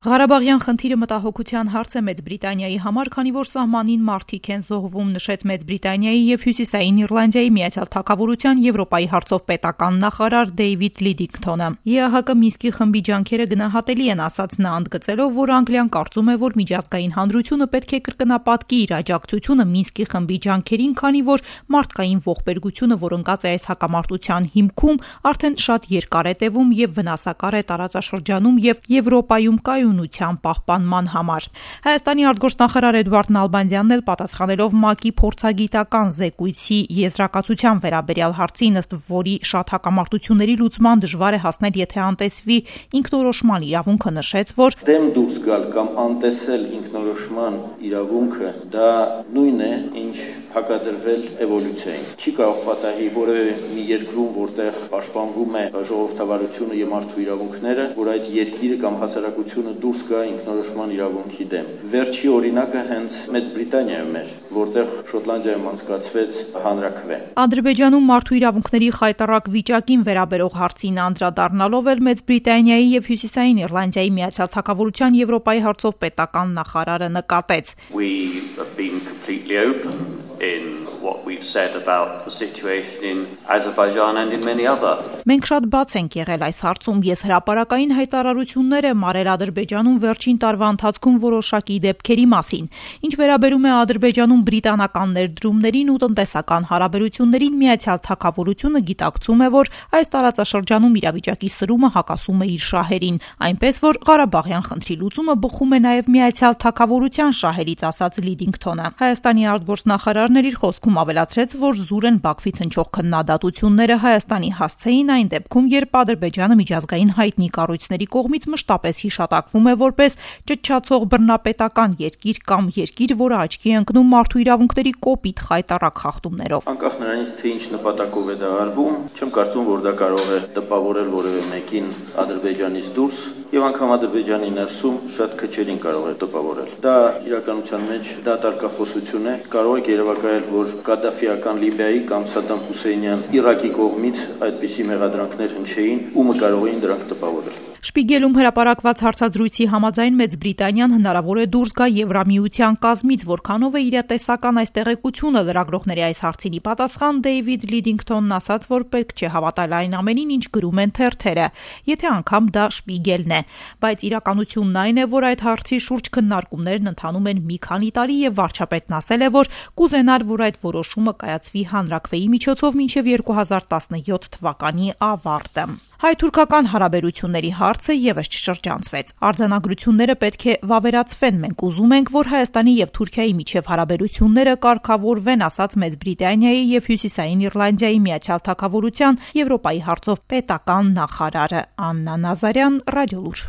Ղարաբաղյան խնդիրը մտահոգության հարց է Մեծ Բրիտանիայի համար, քանի որ սահմանին մարդիկ են զոհվում, նշեց Մեծ Բրիտանիայի եւ Հյուսիսային Իռլանդիայի Միացյալ Թագավորության Եվրոպայի հարցով պետական նախարար Դեյվիդ Լիդինգթոնը։ ԵԱՀԿ Մինսկի խմբի ջանքերը գնահատելի են, ասաց նա, ընդգծելով, որ Անգլիան կարծում է, որ միջազգային հանրությունը պետք է կրկնապատկի իր աջակցությունը Մինսկի խմբի ջանքերին, քանի որ մարդկային ողբերգությունը, որ ընկած է այս հակամարտության հիմքում, արդեն շատ երկար է տևում եւ վնասակար է տարածաշրջանում եւ Եվրոպայում կայունության պահպանման համար։ Հայաստանի արտգործնախարար Էդուարդ Նալբանդյանն էլ պատասխանելով ՄԱԿ-ի փորձագիտական զեկույցի եզրակացության վերաբերյալ հարցին, ըստ որի շատ հակամարտությունների լուծման դժվար է հասնել, եթե անտեսվի ինքնորոշման իրավունքը, նշեց, որ դեմ դուրս գալ կամ անտեսել ինքնորոշման իրավունքը դա նույնն է, ինչ հակադրվել էվոլյուցիային։ Չի կարող պատահի որևէ մի երկրում, որտեղ պաշտպանվում է ժողովրդավարությունը եւ մարդու իրավունքները, որ այդ երկիրը կամ հասարակությունը դուրս գա ինքնորոշման իրավունքի դեմ։ Վերջի օրինակը հենց Մեծ Բրիտանիայում էր, որտեղ Շոտլանդիայում անցկացվեց հանրաքվե։ Ադրբեջանում մարդու իրավունքների խայտառակ վիճակին վերաբերող հարցին անդրադառնալով էլ Մեծ Բրիտանիայի եւ Հյուսիսային Իռլանդիայի Միացյալ Թագավորության Եվրոպայի հարցով պետական նախարարը նկատեց. We have been completely open in what we've said about the situation in Azerbaijan and in many other. Մենք շատ բաց ենք եղել այս հարցում, ես հրապարակային հայտարարություններ եմ արել Ադրբեջանում վերջին տարվա ընթացքում որոշակի դեպքերի մասին։ Ինչ վերաբերում է Ադրբեջանում բրիտանական ներդրումներին ու տնտեսական հարաբերություններին, Միացյալ Թագավորությունը գիտակցում է, որ այս տարածաշրջանում իրավիճակի սրումը հակասում է իր շահերին, այնպես որ Ղարաբաղյան խնդրի լուծումը բխում է նաև Միացյալ Թագավորության շահերից, ասաց Լիդինգթոնը։ Հայաստանի արտգործնախարարն իր խոսքում ավելացրեց, որ զուր են Բաքվից հնչող քննադատությունները Հայաստանի հասցեին այն դեպքում, երբ Ադրբեջանը միջազգային հայտնի կառույցների կողմից մշտապես հիշատակվում է որպես ճչացող բռնապետական երկիր կամ երկիր, որը աչքի է ընկնում մարդու իրավունքների կոպիտ խայտառակ խախտումներով։ Անկախ նրանից, թե ինչ նպատակով է դա արվում, չեմ կարծում, որ դա կարող է տպավորել որևէ մեկին Ադրբեջանից դուրս եւ անգամ Ադրբեջանի ներսում շատ քչերին կարող է տպավորել։ Դա իրականության մեջ դատարկախոսություն է, կարող է երևակայել, որ Կադաֆիական Լիբիայի կամ Սադամ Հուսեյնյան Իրաքի կողմից այդպիսի մեղադրանքներ հնչեին, ումը կարող էին դրանք տպավորել։ Շպիգելում հրապարակված հարցազրույցի համաձայն Մեծ Բրիտանիան հնարավոր է դուրս գա Եվրամիության կազմից, որքանով է իրատեսական այս տեղեկությունը, լրագրողների այս հարցինի պատասխան Դեյվիդ Լիդինգթոնն ասաց, որ պետք չէ հավատալ այն ամենին, ինչ գրում են թերթերը, եթե անգամ դա Շպիգելն է, բայց իրականությունն այն է, որ այդ հարցի շուրջ քննարկումներն ընթանում են մի քանի տարի եւ վարչապետն ասել է, որ կուզենար, որ այդ որոշումը կայացվի հանրաքվեի միջոցով մինչև 2017 թվականի ավարտը։ Հայ-թուրքական հարաբերությունների հարցը եւս չշրջանցվեց։ Արձանագրությունները պետք է վավերացվեն։ Մենք ուզում ենք, որ Հայաստանի եւ Թուրքիայի միջև հարաբերությունները կարգավորվեն, ասաց Մեծ Բրիտանիայի եւ Հյուսիսային Իռլանդիայի Միացյալ Թագավորության Եվրոպայի հարցով պետական նախարարը Աննա Նազարյան, Ռադիոլուր։